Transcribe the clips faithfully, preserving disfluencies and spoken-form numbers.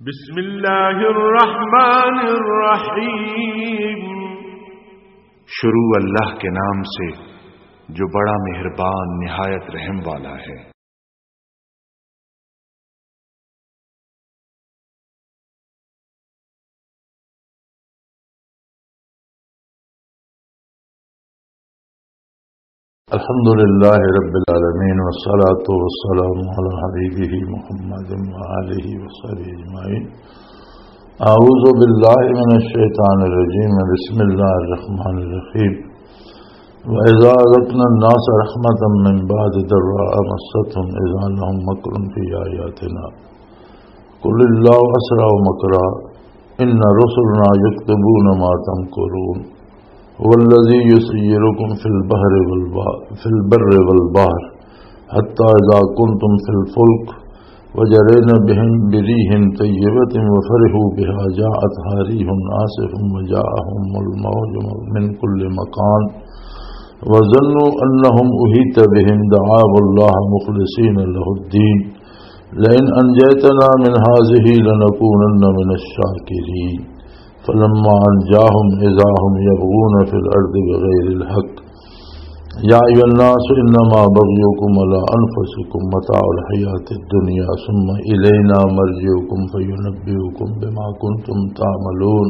بسم اللہ الرحمن الرحیم۔ شروع اللہ کے نام سے جو بڑا مہربان، نہایت رحم والا ہے۔ الحمد لله رب العالمين، والصلاة والسلام على حبيبه محمد وآله وصحبه أجمعين. أعوذ بالله من الشيطان الرجيم. بسم الله الرحمن الرحيم. وإذا أذقنا الناس رحمة من بعد ضراء مستهم إذا لهم مكر في آياتنا قل الله أسرع مكرا إن رسلنا يكتبون ما تمكرون. هو الذي يسيركم في البحر والبحر، في البر والبحر، حتى إذا كنتم في الفلك وجرين بهم بريح طيبة وفرحوا بها جاءتها ريح عاصف وجاءهم الموج من كل مكان وظنوا أنهم أحيط بهم دعوا الله مخلصين له الدين لئن أنجيتنا من هذه لنكونن من الشاكرين. فلما أنجاهم إذا هم يبغون في الأرض بغير الحق. يا أيها الناس إنما بغيكم على أنفسكم متاع الحياة الدنيا ثم إلينا مرجعكم فينبئكم بما كنتم تعملون.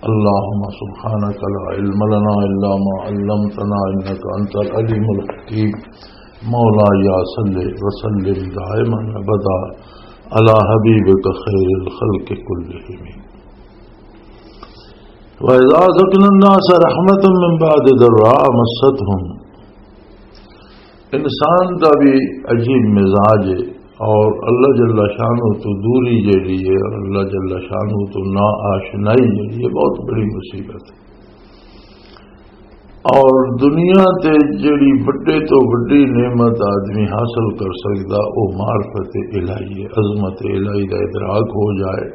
اللهم سبحانك لا علم لنا إلا ما علمتنا إنك أنت العليم الحكيم. مولاي صل وسلم دائما أبدا على حبيبك خير الخلق كلهم. وإذا أذقنا الناس رحمة من بعد ضراء مستهم. انسان دا بھی عجیب مزاج ہے، اور اللہ جل شانہ تو دوری جڑی ہے اور اللہ جل شانہ تو نا آشنائی جڑی ہے، بہت بڑی مصیبت ہے۔ اور دنیا تے جڑی وڈے تو وڈی نعمت آدمی حاصل کر سکدا، او معرفت الہی ہے، عظمت الہی دا ادراک ہو جائے۔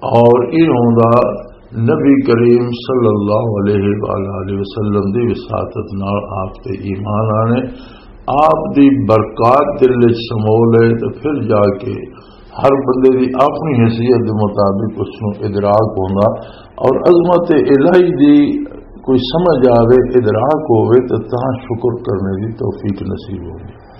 اور یہ ہوندا نبی کریم صلی اللہ علیہ وآلہ وسلم دی وساطت نال آپ تے ایمان آنے، آپ دی برکات دل وچ سمو لے، تے پھر جا کے ہر بندے دی اپنی حیثیت دے مطابق اس نوں ادراک ہوندا، اور عظمت الہی دی کوئی سمجھ آوے، ادراک ہووے، تے تاں شکر کرنے دی توفیق نصیب ہوندی۔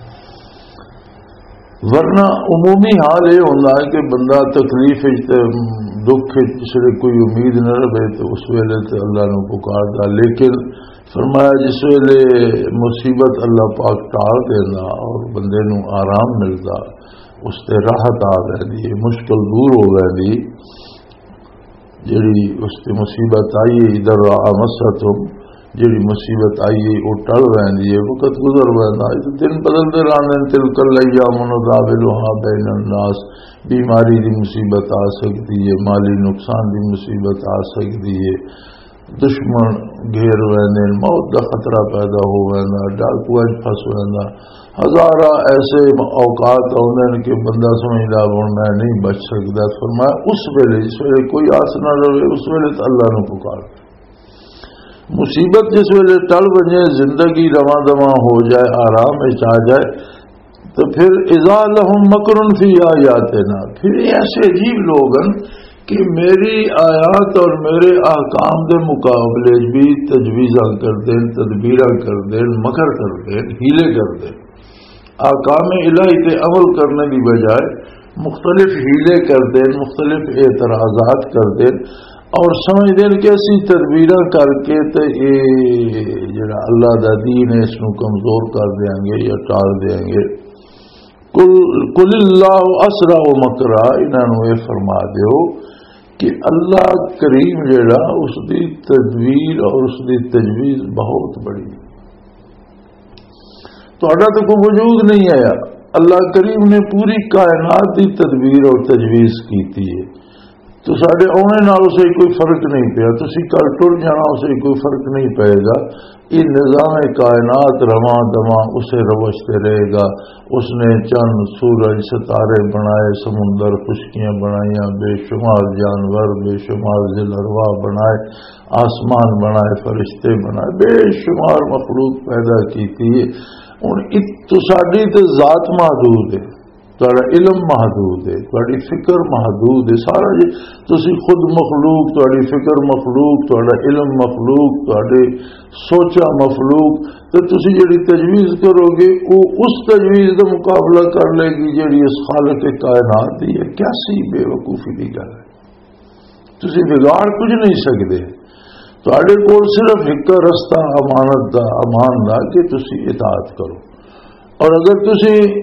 ورنہ عمومی حال یہ ہوندا ہے کہ بندہ تکلیف وچ تے دکھ وچ، جس ویلے کوئی امید نہ رہے، تے اس ویلے تے اللہ نوں پکاردا۔ لیکن فرمایا، جس ویلے مصیبت اللہ پاک ٹال دیندا اور بندے نوں آرام ملدا، اس تے راحت آ ویندی ہے، مشکل دور ہو ویندی۔ جڑی اس تے مصیبت آئی ہے، ادھر آ مستم، جڑی مصیبت آئی ہے، وہ ٹل ویندی ہے، وقت گزر ویندا ہے۔ تے دن بدلدے رہندے نے، تلک الایام نداولها بین الناس، بیماری دی مصیبت آ سکدی ہے، مالی نقصان دی مصیبت آ سکدی ہے، دشمن گھیر ویندے نے، موت دا خطرہ پیدا ہو ویندا، ڈاکو اج پھس ویندا، ہزاراں ایسے اوقات آوندے نے کہ بندہ سمجھدا، "ہن میں نہیں بچ سکدا۔" فرمایا، اس ویلے، جس ویلے کوئی آس نہ رہے، اس ویلے تو اللہ نوں پکار۔ مصیبت جس ویلے ٹل ونجے، زندگی رواں دواں ہو جائے، آرام وچ آ جائے، تو پھر اذا لهم مکر فی آیاتنا، پھر یہ ایسے عجیب لوگ ہیں کہ میری آیات اور میرے احکام دے مقابلے بھی تجویزاں کر دین، تدبیراں کر دین، مکر کر دین، حیلے کر دین۔ احکام الہی تے عمل کرنے دی بجائے مختلف حیلے کر دین، مختلف اعتراضات کر دین، اور سمجھ دین کہ اسی تدبیراں کر کے تے اے جڑا اللہ دا دین ہے، اس نوں کمزور کر دیاں گے یا ٹال دیاں گے۔ قل، قل اللہ اسرع مکرا، انہاں نوں اے فرما دیو کہ اللہ کریم جڑا، اس دی تدبیر اور اس دی تجویز بہت بڑی ہے۔ تہاڈا تو کوئی وجود نہیں آیا، اللہ کریم نے پوری کائنات دی تدبیر اور تجویز کیتی ہے۔ تو ساڈے آنے نال اسے کوئی فرق نہیں پیا، تسی کل ٹر جانا، اسے کوئی فرق نہیں پائے گا۔ یہ نظام کائنات رواں دواں اسے روش تے رہے گا۔ اس نے چند، سورج، ستارے بنائے، سمندر، خشکیاں بنائیاں، بے شمار جانور، بے شمار ذی الارواح بنائے، آسمان بنائے، فرشتے بنائے، بے شمار مخلوق پیدا کیتی ہے۔ ہن ات-، تو ساڈی تے ذات محدود ہے۔ تہاڈا علم محدود ہے، تہاڈی فکر محدود ہے، سارا جے تسی خود مخلوق، تہاڈی فکر مخلوق، تہاڈا علم مخلوق، تہاڈے سوچا مخلوق، تے تسی جڑی تجویز کرو گے، او اس تجویز دا مقابلہ کر لے گی جڑی اس خالق کائنات دی ہے۔ کیسی بے وقوفی دی گل ہے! تسی بگاڑ کچھ نہیں سکدے۔ تہاڈے کول صرف ایک رستہ امانت دا، امان دا، کہ تسی اطاعت کرو۔ اور اگر تسی،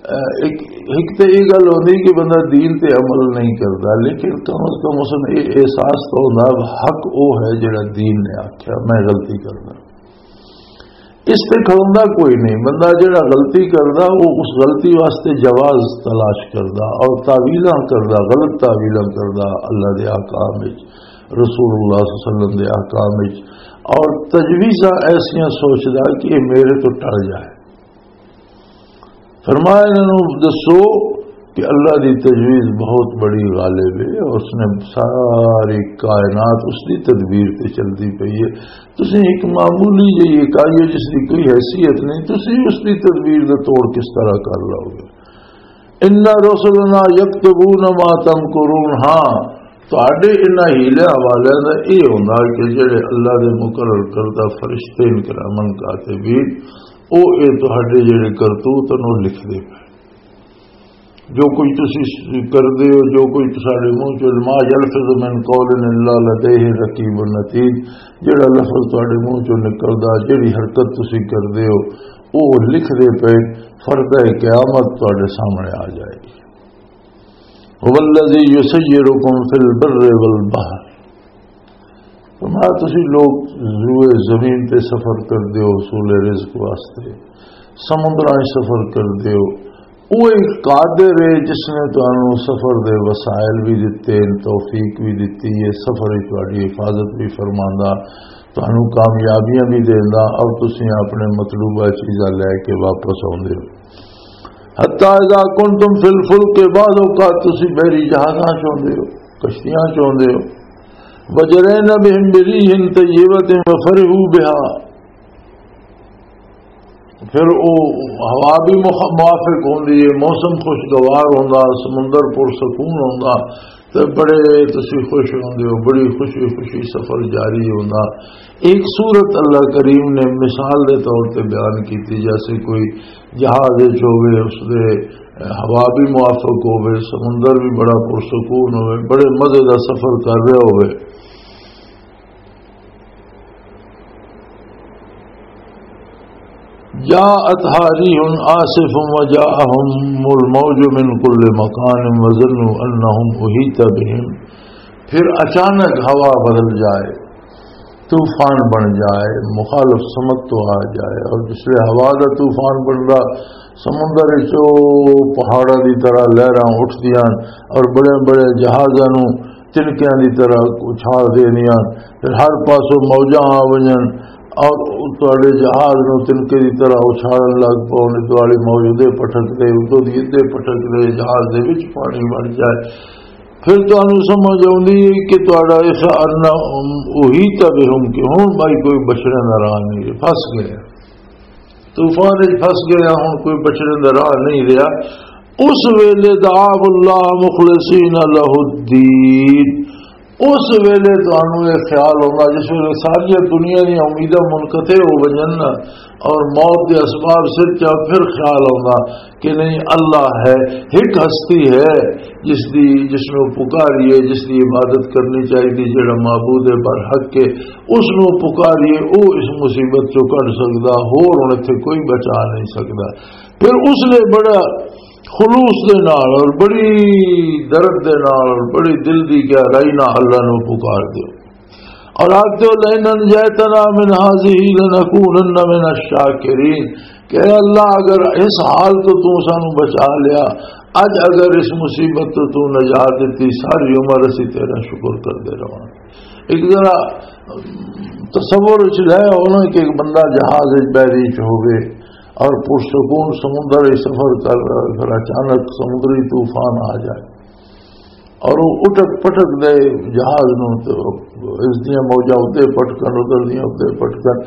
اہ، ایک، ایک تے یہ گل ہوندی کہ بندہ دین تے عمل نہیں کردا، لیکن کم از کم اس نے یہ احساس تو ہوندا، حق او ہے جڑا دین نے آکھیا، میں غلطی کردا۔ اس تے کھلوندا کوئی نہیں۔ بندہ جڑا غلطی کردا، وہ اس غلطی واسطے جواز تلاش کردا اور تعویلاں کردا، غلط تعویلاں کردا اللہ دے احکام وچ، رسول اللہ صلی اللہ علیہ وسلم دے احکام وچ، اور تجویزاں ایسیاں سوچدا کہ یہ میرے تو ٹل جائے۔ فرمایا، انہاں نوں دسو کہ اللہ دی تجویز بہت بڑی غالب ہے اور اس نے ساری کائنات اس دی تدبیر تے چلدی پئی ہے۔ تسیں ایک معمولی جہی اکائی ہو جس دی کوئی حیثیت نہیں، تسیں اس دی تدبیر دا توڑ کس طرح کر لو گے؟ ان رسلنا یکتبون ما تمکرون۔ ہاں، تہاڈے انہاں ہیلیاں والیاں دا اے ہوندا کہ جڑے اللہ دے مقرر کردہ فرشتے ان کرامن کاتبین، او اے تہاڈے جڑے کرتوت ہن، او لکھدے پئے۔ جو کچھ تسی کردے ہو، جو کچھ تساڈے منہ چوں، ما یلفظ من قول الا لدیہ رقیب عتید، جڑا لفظ تہاڈے منہ چوں نکلدا، جڑی حرکت تسی کردے ہو، او لکھدے پئے۔ فردہ قیامت تہاڈے سامنے آ جائے گی۔ هو الذی یسیرکم فی البر والبحر۔ فرمایا، تسی لوگ روئے زمین تے سفر کر دیو حصول رزق واسطے، سمندراں وچ سفر کر دیو۔ وہ ایک قادر ہے جس نے تانوں سفر دے وسائل بھی دتے، توفیق بھی دتی ہے، سفر وچ تہاڈی حفاظت بھی فرماندا، تانوں کامیابیاں بھی دیندا، اور تسی اپنے مطلوبہ چیزاں لے کے واپس آوندے ہو۔ حتی اذا کنتم فی الفلک، بعض اوقات تسی بحری جہازاں چ ہوندے ہو، کشتیاں چ ہوندے ہو۔ وجرین بہم بریح طیبۃ وفرحوا بہا، پھر او ہوا بھی مخ-، موافق ہوندی ہے، موسم خوشگوار ہوندا، سمندر پرسکون ہوندا، تے بڑے تسی خوش ہوندے ہو، بڑی خوشی خوشی سفر جاری ہوندا۔ ایک صورت اللہ کریم نے مثال دے طور تے بیان کیتی، جیسے کوئی جہاز وچ ہووے، اس دے ہوا بھی موافق ہووے، سمندر بھی بڑا پرسکون ہووے، بڑے مزے دا سفر کر رہا ہووے۔ جاءتها ريح عاصف وجاءهم الموج من كل مكان وظنوا أنهم أحيط بهم۔ پھر اچانک ہوا بدل جائے، طوفان بن جائے، مخالف سمت تو آ جائے، اور جس لئے ہوا دا طوفان بندا، سمندر وچ او پہاڑاں دی طرح لہراں اٹھدیاں اور بڑے بڑے جہازاں نوں تنکیاں دی طرح اچھال دیندیاں، پھر ہر پاسوں موجاں آ ونجن اور تہاڈے جہاز نوں تنکے دی طرح اچھالن لگ پون، ادھر والی موج ادھر پٹک دے، ادھر دی ادھر پٹک دے، جہاز دے وچ پانی بن جائے۔ پھر تانوں سمجھ آوندی ہے کہ تہاڈا اس ان احیط بہم، کہ ہن بھائی کوئی بچنے دا راہ نہیں، پھس گئے، طوفان وچ پھس گئے، ہن کوئی بچنے دا راہ نہیں رہیا۔ اس ویلے دعوا اللہ مخلصین لہ الدین، اس ویلے تانوں یہ خیال ہوندا، جس ویلے ساری دنیا دی امیداں منقطع ہو ونجن نا، اور موت دے اسباب سر چا، پھر خیال ہوندا کہ نہیں، اللہ ہے، ایک ہستی ہے جس دی، جس نوں پکاریے، جس دی عبادت کرنی چاہیے، جڑا معبود ہے برحق کے، اس نوں پکاریے، او اس مصیبت چوں کڈ سکدا، ہور ہن اتھے کوئی بچا نہیں سکدا۔ پھر اس نے بڑا خلوص دے نال اور بڑی درد دے نال اور بڑی دل دی گہرائی نال اللہ نوں پکار دیو۔ اور آکھ دیو، "لئن انجیتنا من هذه لنکونن من الشاکرین"، کہ اے اللہ، اگر اس حال تو تو سانو بچا لیا، اج اگر اس مصیبت تو تو نجات دیتی، ساری عمر اسی تیرا شکر کردے رہواں۔ ایک ذرا تصور وچ لے آؤ نا کہ ایک بندہ جہاز وچ بحری وچ ہووے اور پرسکون سمندر وچ سفر کر رہا ہے، پھر اچانک سمندری طوفان آ جائے، اور وہ اٹک پٹک دے جہاز نوں، تے اس دیاں موجاں اتنے پٹکن، ادھر دیاں اتنے پٹکن،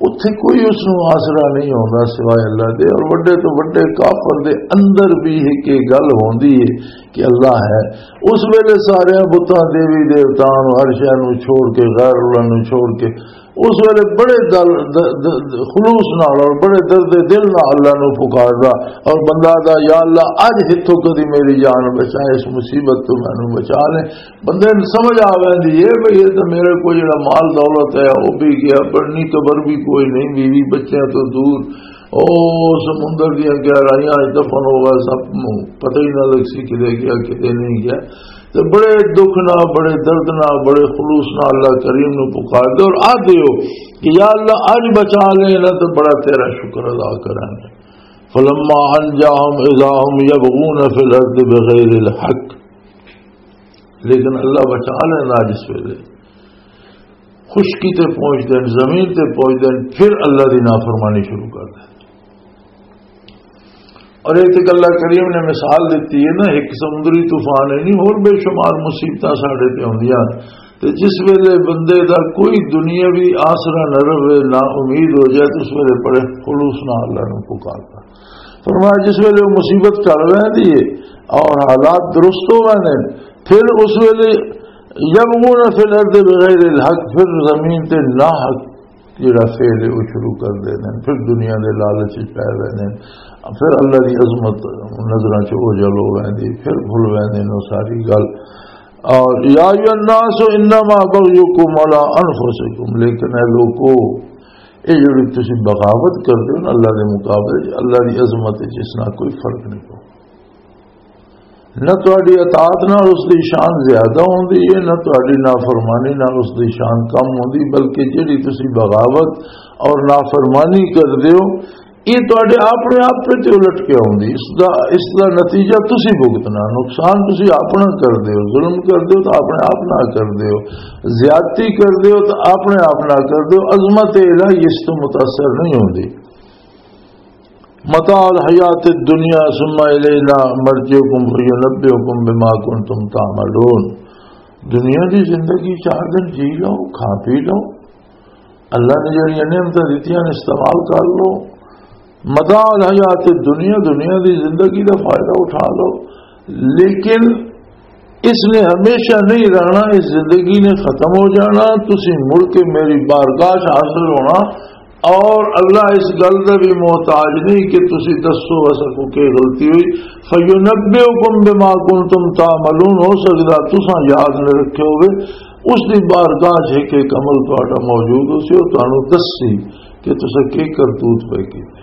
اتھے کوئی اس نوں آسرا نہیں ہوندا سوائے اللہ دے۔ اور وڈے تو وڈے کافر دے اندر بھی ایک یہ گل ہوندی ہے کہ اللہ ہے۔ اس ویلے سارے بتاں، دیوی دیوتاں نوں، ہر شے نوں چھوڑ کے، غیر اللہ نوں چھوڑ کے، اس ویلے بڑے دل، د-، د-، خلوص نال اور بڑے درد دل نال اللہ نوں پکاردا، اور بندہ دا، "یا اللہ، اج ہتھوں کدی میری جان بچا، اس مصیبت تو مینوں بچا لے۔" بندے نوں سمجھ آ ویندی ہے بھئی، یہ تو میرے کو جڑا مال دولت ہے، وہ بھی گیا، پڑھنی قبر بھی کوئی نہیں، بیوی بچیاں تو دور، او سمندر دیاں گہرائیاں اچ دفن ہو گیا، سب نوں پتہ ہی نہ لگ سی کدے گیا، کدے نہیں گیا۔ تے بڑے دکھ نال، بڑے درد نال، بڑے خلوص نال اللہ کریم نوں پکار دے اور آ دیو کہ یا اللہ، اج بچا لے نہ، تے بڑا تیرا شکر ادا کرانگے۔ فلما انجاهم اذا هم يبغون في الارض بغیر الحق۔ لیکن اللہ بچا لینا جس ویلے خشکی تے پہنچ دین، زمین تے پہنچ دین، پھر اللہ دی نافرمانی شروع کر دین۔ اور ایک تے اللہ کریم نے مثال دیتی ہے نا، ایک سمندری طوفان ہے نہیں، اور بے شمار مصیبتاں ساڈے تے ہوندیاں۔ تے جس ویلے بندے دا کوئی دنیاوی آسرا نہ رہے، نا امید ہو جائے، تو اس ویلے بڑے خلوص نال اللہ نوں پکاردا۔ فرمایا، جس ویلے وہ مصیبت ٹل ویندی ہے اور حالات درست ہو ویندے نے، پھر اس ویلے یبغون فی الارض بغیر الحق، پھر زمین تے ناحق جڑا فعل ہے وہ شروع کر دے نے، پھر دنیا دے لالچ وچ پے ویندے نے، پھر اللہ دی عظمت نظراں چ اوجھل ہو ویندی، پھر بھل ویندے نے وہ ساری گل۔ اور یا ایھا الناس انما بغیکم علی انفسکم، لیکن اے لوکو، اے جڑی تسی بغاوت کردے ہو نا اللہ دے مقابلے چ، اللہ دی عظمت وچ اس نال کوئی فرق نہیں پوندا۔ نہ تہاڈی اطاعت نال اس دی شان زیادہ ہوندی ہے، نہ تہاڈی نافرمانی نال اس دی شان کم ہوندی، بلکہ جڑی تسی بغاوت اور نافرمانی کردے ہو، یہ تہاڈے اپنے آپ تے الٹ کے آوندی۔ اس دا، اس دا نتیجہ تسی بھگتنا، نقصان تسی اپنا کردے ہو، ظلم کردے ہو تو اپنے آپ نال کردے ہو، زیادتی کردے ہو تو اپنے آپ نال کردے ہو۔ عظمت الہی اس تو متاثر نہیں ہوندی۔ متاع الحیات الدنیا ثم الینا مرجعکم فینبئکم بما کنتم تعملون۔ دنیا دی زندگی چار دن جی لو، کھا پی لو، اللہ نے جڑیاں نعمتاں دتیاں نے استعمال کر لو۔ متاع الحیات الدنیا، دنیا دی زندگی دا فائدہ اٹھا لو، لیکن اس نے ہمیشہ نہیں رہنا، اس زندگی نے ختم ہو جانا۔ تسی مڑ کے میری بارگاہ چ حاضر ہونا، اور اللہ اس گل دا بھی محتاج نہیں کہ تسی دسو اساں کو کی غلطی ہوئی۔ فینبئکم بما کنتم تعملون، ہو سکدا تساں یاد نہ رکھے ہوئے، اس دی بارگاہ چ ایک ایک عمل تہاڈا موجود ہو سی، اور تانوں دسی کہ تساں کی کرتوت پے کیتے۔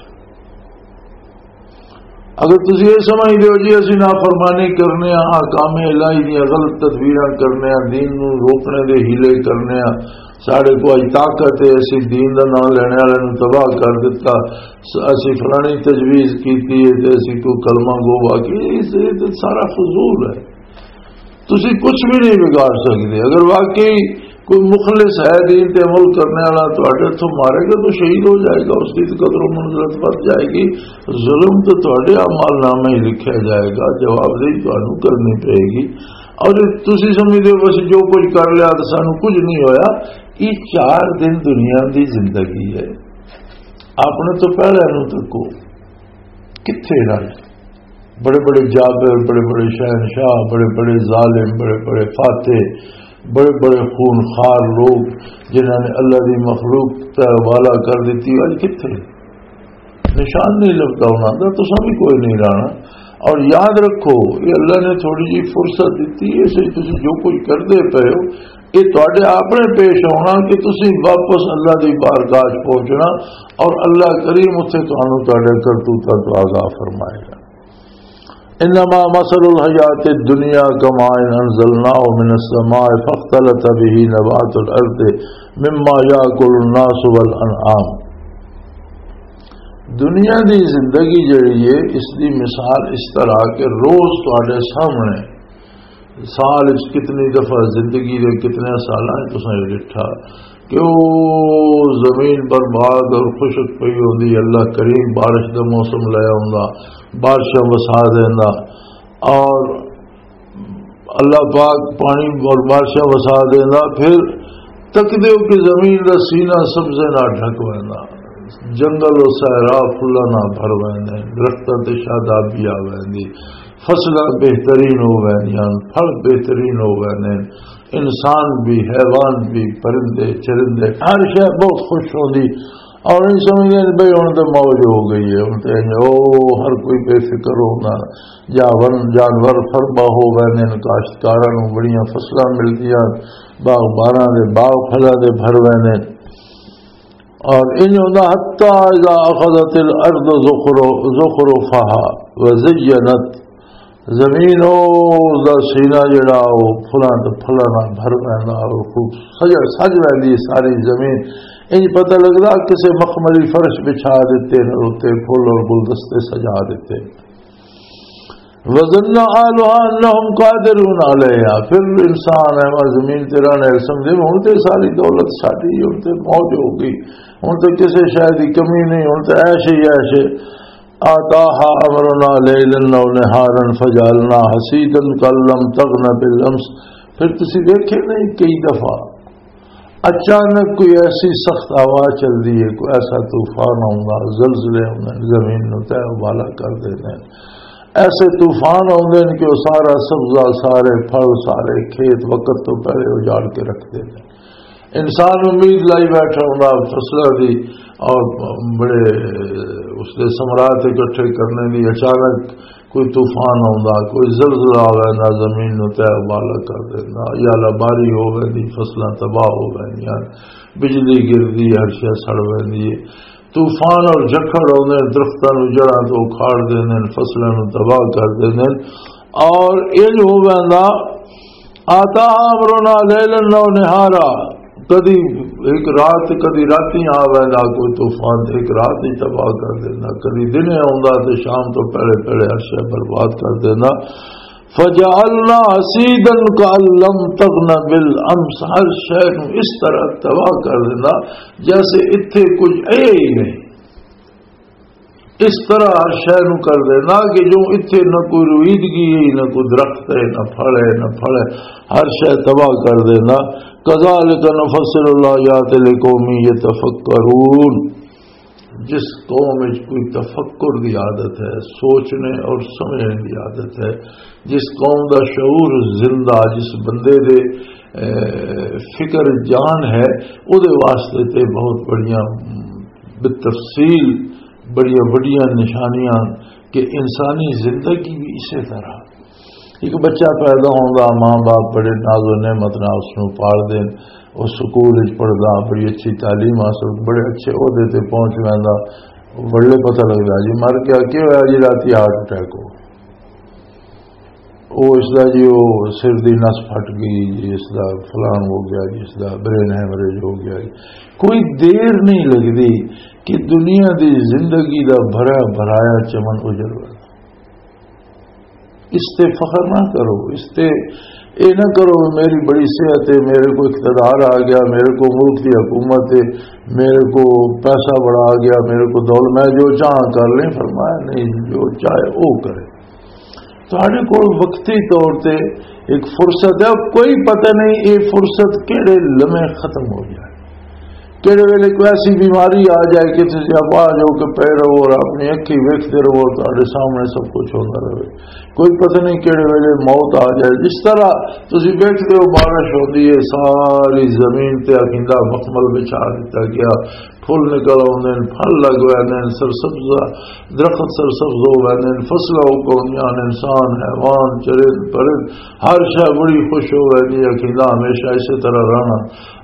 اگر تسی یہ سمجھدے ہو جی اسی نافرمانی کرنے ہاں، احکام الہی دیاں غلط تدبیراں کرنے ہاں، دین نوں روکنے دے حیلے کرنے ہاں، ساڈے کو اج طاقت ہے، اسی دین دا نام لینے والے نوں تباہ کر دتا، س-، اسی فلانی تجویز کیتی ہے تے اسی کو کلمہ گو باقی، یہ س-، یہ تے سارا فضول ہے۔ تسی کچھ بھی نہیں بگاڑ سکدے۔ اگر واقعی کوئی مخلص ہے، دین تے عمل کرنے والا، تہاڈے ہتھوں مارے گا تو شہید ہو جائے گا، اس کی تو قدر و منزلت بڑھ جائے گی۔ ظلم تو تہاڈے اعمال نامے ہی لکھیا جائے گا، جوابدہی تانوں کرنی پئے گی۔ اور جے تسی سمجھدے ہو بس جو کچھ کر لیا تو سانوں کچھ نہیں ہویا، یہ چار دن دنیا دی زندگی ہے، اپنے تو پہلے نوں تکو۔ کتھے رہے؟ بڑے بڑے جابر، بڑے بڑے شہنشاہ، بڑے بڑے ظالم، بڑے بڑے فاتح، بڑے بڑے خونخوار لوگ جنہاں نے اللہ دی مخلوق تے حوالہ کر دیتی، اج کتھے؟ نشان نہیں لبھدا انہاں دا، تساں بھی کوئی نہیں رہنا۔ اور یاد رکھو، یہ اللہ نے تھوڑی جی فرصت دیتی ہے، اس وچ تسی جو کچھ کردے پئے ہو، یہ تہاڈے اپنے پیش آنا کہ تسی واپس اللہ دی بارگاہ چ پہنچنا اور اللہ کریم اتھے تانوں تہاڈے کرتوتاں تو آگاہ فرمائے گا۔ انما مثل الحیات الدنیا کماء انزلناہ من السماء فاختلط به نبات الارض مما یاکل الناس والانعام۔ دنیا دی زندگی جڑی ہے، اس دی مثال اس طرح کہ روز تہاڈے سامنے سال وچ کتنی دفعہ زندگی دے کتنے سالاں وچ تساں یہ ڈٹھا کہ او زمین برباد اور خشک پئی ہوندی، اللہ کریم بارش دا موسم لے آوندا، بارشاں وسا دیندا، اور اللہ پاک پانی اور بارشاں وسا دیندا، پھر تکدے ہو کہ زمین دا سینہ سبزے نال ڈھک ویندا، جنگل و صحرا پھلاں نال بھر ویندے، درختاں تے شادابی آ ویندی، فصلاں بہترین ہو ویندیاں، پھل بہترین ہو ویندے، انسان بھی، حیوان بھی، پرندے چرندے، ہر شے بہت خوش ہوندی۔ اور نہیں سمجھدے بھئی ہن تے موج ہو گئی ہے، ہن تے او ہر کوئی بے فکر ہوندا، جانور، جانور فربا ہو ویندے نے، کاشتکاراں نوں بڑیاں فصلاں ملدیاں، باغباناں دے باغ پھلاں دے بھر ویندے۔ اور انج ہوندا، حتی اذا اخذت الارض زخرو-، زخرفها وزینت، زمین او، اس دا سینہ جڑا او پھلاں تے پھلاں نال بھر ویندا اور خوب سج، سج ویندی ساری زمین۔ انج پتہ لگدا کسے مخملی فرش بچھا دتے نے، اوتے پھول اور گلدستے سجا دتے۔ وظن اهلها انهم قادرون عليها، پھر انسان ہے وہ زمین تے رہنے سمجھے، ہن تے ساری دولت ساڈی، ہن تے موج ہو گئی، ہن تے کسے شے دی کمی نہیں، ہن تے عیش ہی عیش ہے۔ آتاها امرنا ليلا او نهارا فجعلناها حصيدا كأن لم تغن بالامس۔ پھر تسی دیکھے نہیں کئی دفعہ اچانک کوئی ایسی سخت ہوا چلدی ہے، کوئی ایسا طوفان آوندا، زلزلے آوندے نے، زمین نوں تہہ و بالا کر دیندے نے۔ ایسے طوفان آوندے نے کہ وہ سارا سبزہ، سارے پھل، سارے کھیت وقت تو پہلے اجاڑ کے رکھ دیندے نے۔ انسان امید لائی بیٹھا ہوندا فصلاں دی، اور بڑے اس دے ثمرات اکٹھے کرنے دی، اچانک کوئی طوفان آوندا، کوئی زلزلہ آ ویندا، زمین نوں تہہ و بالا کر دیندا، یا اللہ باری ہو ویندی، فصلاں تباہ ہو ویندیاں، بجلی گردی، ہر شے سڑ ویندی ہے۔ طوفان اور جھکھڑ آوندے نے، درختاں نوں جڑاں تو اکھاڑ دیندے نے، فصلاں نوں تباہ کر دیندے نے۔ اور انج ہو ویندا، آتا امرنا لیلا و نہارا، کدی ایک رات، کدی راتی آ ویندا کوئی طوفان، ایک رات ہی تباہ کر دیندا، کدی دن آوندا تے شام تو پہلے پہلے ہر شے برباد کر دیندا۔ فجعلنا حصیدا کأن لم تغن بالامس، ہر شے نوں اس طرح تباہ کر دیندا جیسے اتھے کچھ ہے ہی نہیں۔ اس طرح ہر شے نوں کر دینا کہ جو اتھے نہ کوئی رویدگی ہے، نہ کوئی درخت ہے، نہ پھل ہے، نہ پھل ہے، ہر شے تباہ کر دینا۔ کذالک نفصل الآیات لقوم یتفکرون۔ جس قوم وچ کوئی تفکر دی عادت ہے، سوچنے اور سمجھنے دی عادت ہے، جس قوم دا شعور زندہ، جس بندے دے، اے، فکر جان ہے، او دے واسطے تے بہت بڑیاں، بالتفصیل بڑیاں وڈیاں نشانیاں کہ انسانی زندگی بھی اسی طرح۔ ایک بچہ پیدا ہوندا، ماں باپ بڑے ناز و نعمت نال اس نوں پال دین، او سکول وچ پڑھدا، بڑی اچھی تعلیم حاصل، بڑے اچھے عہدے تے پہنچ ویندا، ولے پتہ لگدا جی مر گیا، کی ہویا جی؟ راتی ہارٹ اٹیک ہو، او اس دا جی او سر دی نس پھٹ گئی جی، اس دا فلان ہو گیا جی، اس دا برین ہیمریج ہو گیا جی۔ کوئی دیر نہیں لگدی کہ دنیا دی زندگی دا بھرا بھرایا چمن اجڑ ویندا۔ اس تے فخر نہ کرو، اس تے اے نہ کرو میری بڑی صحت ہے، میرے کو اقتدار آ گیا، میرے کو ملک دی حکومت ہے، میرے کو پیسہ بڑا آ گیا، میرے کو دولت، میں جو چاہاں کر لیں۔ فرمایا نہیں، جو چاہے وہ کرے۔ تہاڈے کول وقتی طور تے ایک فرصت ہے، کوئی پتہ نہیں یہ فرصت کہڑے لمحے ختم ہو جائے، کہڑے ویلے کوئی ایسی بیماری آ جائے کہ تسی آباد ہو کے پے رہو اور اپنی اکھی ویکھتے رہو، تہاڈے سامنے سب کچھ ہوتا رہے۔ کوئی پتہ نہیں کہڑے ویلے موت آ جائے۔ جس طرح تسی ویکھتے ہو بارش ہوندی ہے، ساری زمین تے آکھیندہ مخمل بچھا دتا گیا، پھل نکل آوندے نے، پھل لگ ویندے نے، سرسبز درخت سرسبز ہو ویندے نے، فصلاں اگ آوندیاں نے، انسان، حیوان، چرند، پرند، ہر شے بڑی خوش ہو ویندی ہے کہ نہ ہمیشہ اسی طرح رہنا۔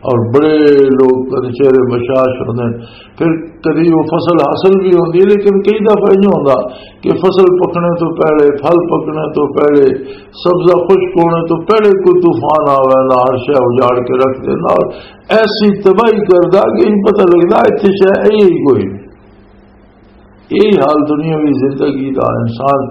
اور بڑے لوگ کدی چہرے بشاش ہوندے نے، پھر کدی وہ فصل حاصل بھی ہوندی ہے، لیکن کئی دفعہ یہ ہوندا کہ فصل پکنے تو پہلے، پھل پکنے تو پہلے، سبزہ خشک ہونے تو پہلے کوئی طوفان آ ویندا، ہر شے اجاڑ کے رکھ دیندا اور ایسی تباہی کردا کہ یہ پتہ لگدا اتھے شے ہے ہی کوئی نہیں۔ یہی حال دنیاوی زندگی دا۔ انسان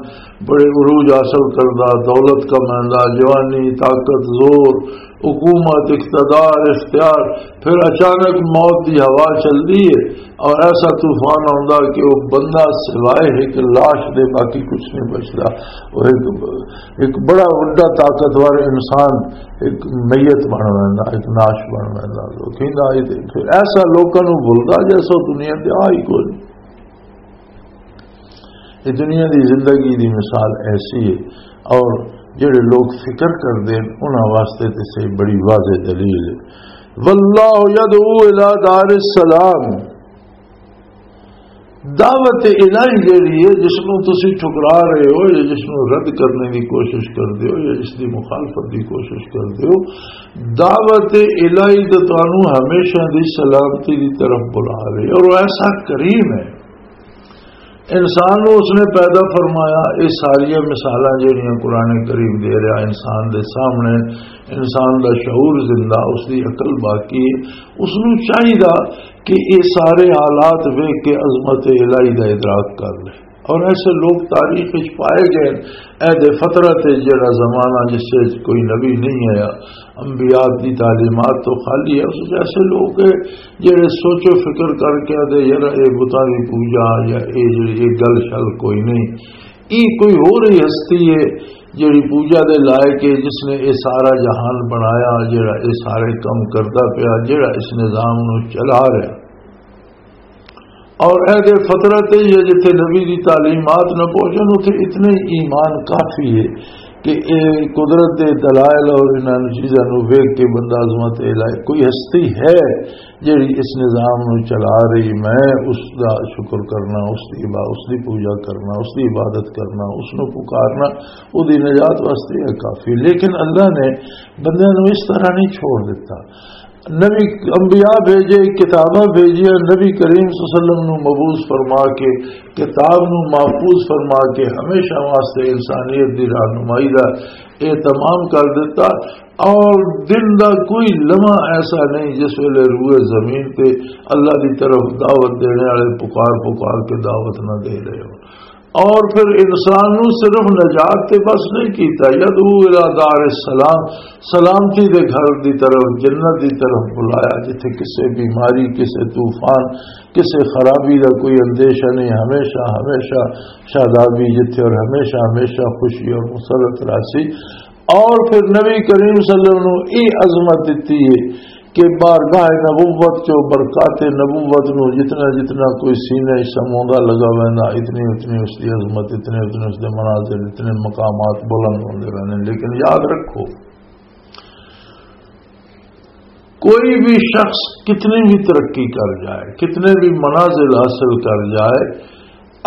بڑے عروج حاصل کردا، دولت کمیندا، جوانی، طاقت، زور، حکومت، اقتدار، اختیار، پھر اچانک موت دی ہوا چلدی ہے اور ایسا طوفان آوندا کہ وہ بندہ سوائے ایک لاش دے باقی کچھ نہیں بچدا۔ وہ ایک، ایک بڑا وڈا طاقتور انسان ایک میت بن ویندا، ایک ناش بن ویندا۔ لوکاں دا یہ تے پھر ایسا لوکاں نوں بھلدا جیسا دنیا تے آ ہی کوئی نہیں۔ یہ دنیا دی زندگی دی مثال ایسی ہے، اور جڑے لوگ فکر کردے ہیں، انہاں واسطے تے صحیح بڑی واضح دلیل ہے۔ واللہ یدعو الی دار السلام۔ دعوت الہی جڑی ہے، جس نوں تسی ٹھکرا رہے ہو یا جس نوں رد کرنے دی کوشش کردے ہو یا جس دی مخالفت دی کوشش کردے ہو، دعوت الہی تے تانوں ہمیشہ دی سلامتی دی طرف بلا رہی ہے، اور وہ ایسا کریم ہے۔ انسان نوں اس نے پیدا فرمایا۔ یہ ساریاں مثالاں جڑیاں قرآن کریم دے رہا انسان دے سامنے، انسان دا شعور زندہ، اس دی عقل باقی ہے۔ اس نوں چاہیدا کہ یہ سارے حالات ویکھ کے عظمت الہی دا ادراک کر لے۔ اور ایسے لوگ تاریخ وچ پائے گئے۔ عہد فترت ہے، جڑا زمانہ جس وچ کوئی نبی نہیں آیا، انبیاء دی تعلیمات تو خالی ہے، اس وچ ایسے لوگ ہیں جڑے سوچ و فکر کر کے آدھے، "یار، اے بتاں دی پوجا یا اے جڑی، اے گل شل کوئی نہیں، اے کوئی ہور ہی ہستی ہے جڑی پوجا دے لائق ہے، جس نے اے سارا جہان بنایا، جڑا اے سارے کم کردا پیا، جڑا اس نظام نو چلا رہا۔" اور اہل فطرت ہے یا جتھے نبی دی تعلیمات نہ پہنچن، اتھے اتنے ہی ایمان کافی ہے کہ اے قدرت دے دلائل اور انہاں چیزاں نوں ویکھ کے بندہ عظمت الہی، کوئی ہستی ہے جڑی اس نظام نوں چلا رہی، میں اس دا شکر کرنا، اس دی عبا-، اس دی پوجا کرنا، اس دی عبادت کرنا، اس نوں پکارنا، او دی نجات واسطے ہے کافی۔ لیکن اللہ نے بندیاں نوں اس طرح نہیں چھوڑ دیتا۔ نبی، انبیاء بھیجے، کتاباں بھیجیاں، نبی کریم صلی اللہ علیہ وسلم نوں مبعوث فرما کے، کتاب نوں محفوظ فرما کے، ہمیشہ واسطے انسانیت دی رہنمائی دا اہتمام کر دیتا۔ اور دن دا کوئی لمحہ ایسا نہیں جس ویلے روئے زمین تے اللہ دی طرف دعوت دینے والے پکار پکار کے دعوت نہ دے رہے ہو۔ اور پھر انسان نو صرف نجات تے بس نہیں کیتا، یدعو الی دار السلام، سلامتی دے گھر دی طرف، جنت دی طرف بلایا، جتھے کسے بیماری، کسے طوفان، کسے خرابی دا کوئی اندیشہ نہیں، ہمیشہ، ہمیشہ شادابی جتھے اور ہمیشہ، ہمیشہ خوشی اور مسرت راسی۔ اور پھر نبی کریم صلی اللہ علیہ وسلم نو یہ عظمت دتی ہے کہ بارگاہ نبوت چو برکات نبوت نو جتنا جتنا کوئی سینے وچ سموندا لگا ویندا، اتنی اتنی اس دی عظمت، اتنے اتنے اس دے مناظر، اتنے مقامات بلند ہوندے رہندے۔ لیکن یاد رکھو، کوئی بھی شخص کتنی بھی ترقی کر جائے، کتنے بھی منازل حاصل کر جائے،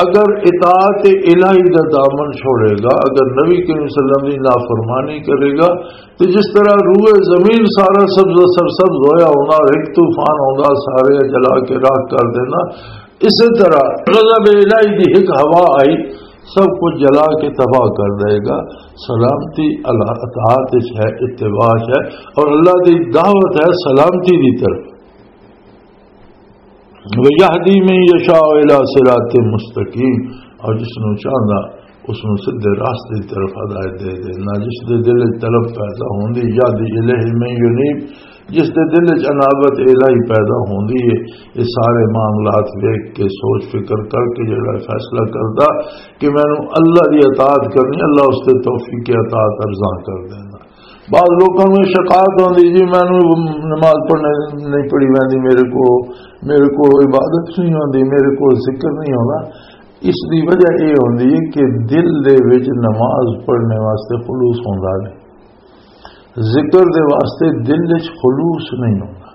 اگر اطاعت الہی دا دامن چھوڑے گا، اگر نبی کریم صلی اللہ علیہ وسلم دی نافرمانی کرے گا، تو جس طرح روئے زمین سارا سبز و سرسبز ہویا ہونا اور ایک طوفان آوندا سارے جلا کے راکھ کر دینا، اسی طرح غضب الہی دی ایک ہوا آئی، سب کچھ جلا کے تباہ کر دے گا۔ سلامتی اللہ اطاعت وچ ہے، اتباع وچ ہے، اور اللہ دی دعوت ہے سلامتی دی طرف۔ وَيَهْدِي مَن يَشَاءُ إِلَىٰ صِرَاطٍ مُّسْتَقِيمٍ، اور جس نوں چاہندا اس نوں سیدھے راستے دی طرف ہدایت دے دینا۔ جس دے دل وچ طلب پیدا ہوندی، یہدی الیہ من ینیب، جس دے دل وچ انابت الہی پیدا ہوندی ہے، یہ سارے معاملات ویکھ کے، سوچ فکر کر کے جڑا فیصلہ کردا کہ مینوں اللہ دی اطاعت کرنی، اللہ اس تے توفیق اطاعت ارزاں کر دینا۔ بعض لوکاں نوں شکایت ہوندی، "جی، مینوں نماز پڑھنے نہیں پڑھی ویندی، میرے کو، میرے کو عبادت نہیں ہوندی، میرے کو ذکر نہیں ہوندا۔" اس دی وجہ یہ ہوندی ہے کہ دل دے وچ نماز پڑھنے واسطے خلوص ہوندا نہیں، ذکر دے واسطے دل وچ خلوص نہیں ہوندا۔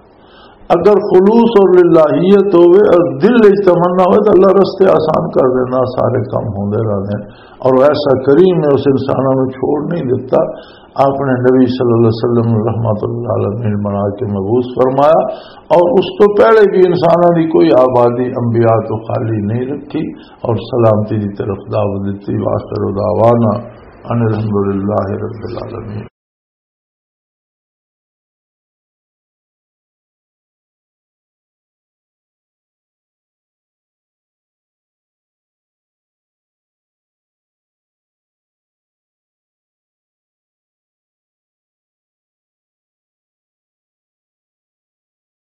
اگر خلوص اور للہیت ہوئے اور دل وچ تمنا ہوئے تو اللہ رستے آسان کر دینا، سارے کام ہوندے رہندے ہیں۔ اور ایسا کریم نے اس انساناں نوں چھوڑ نہیں دیتا، اپنے نبی صلی اللہ علیہ وسلم رحمت اللہ عالمین بنا کے مبعوث فرمایا، اور اس تو پہلے بھی انساناں دی کوئی آبادی انبیاء تو خالی نہیں رکھی اور سلامتی دی طرف دعوت دیتی۔ وآخر دعوانا ان الحمدللہ رب العالمین۔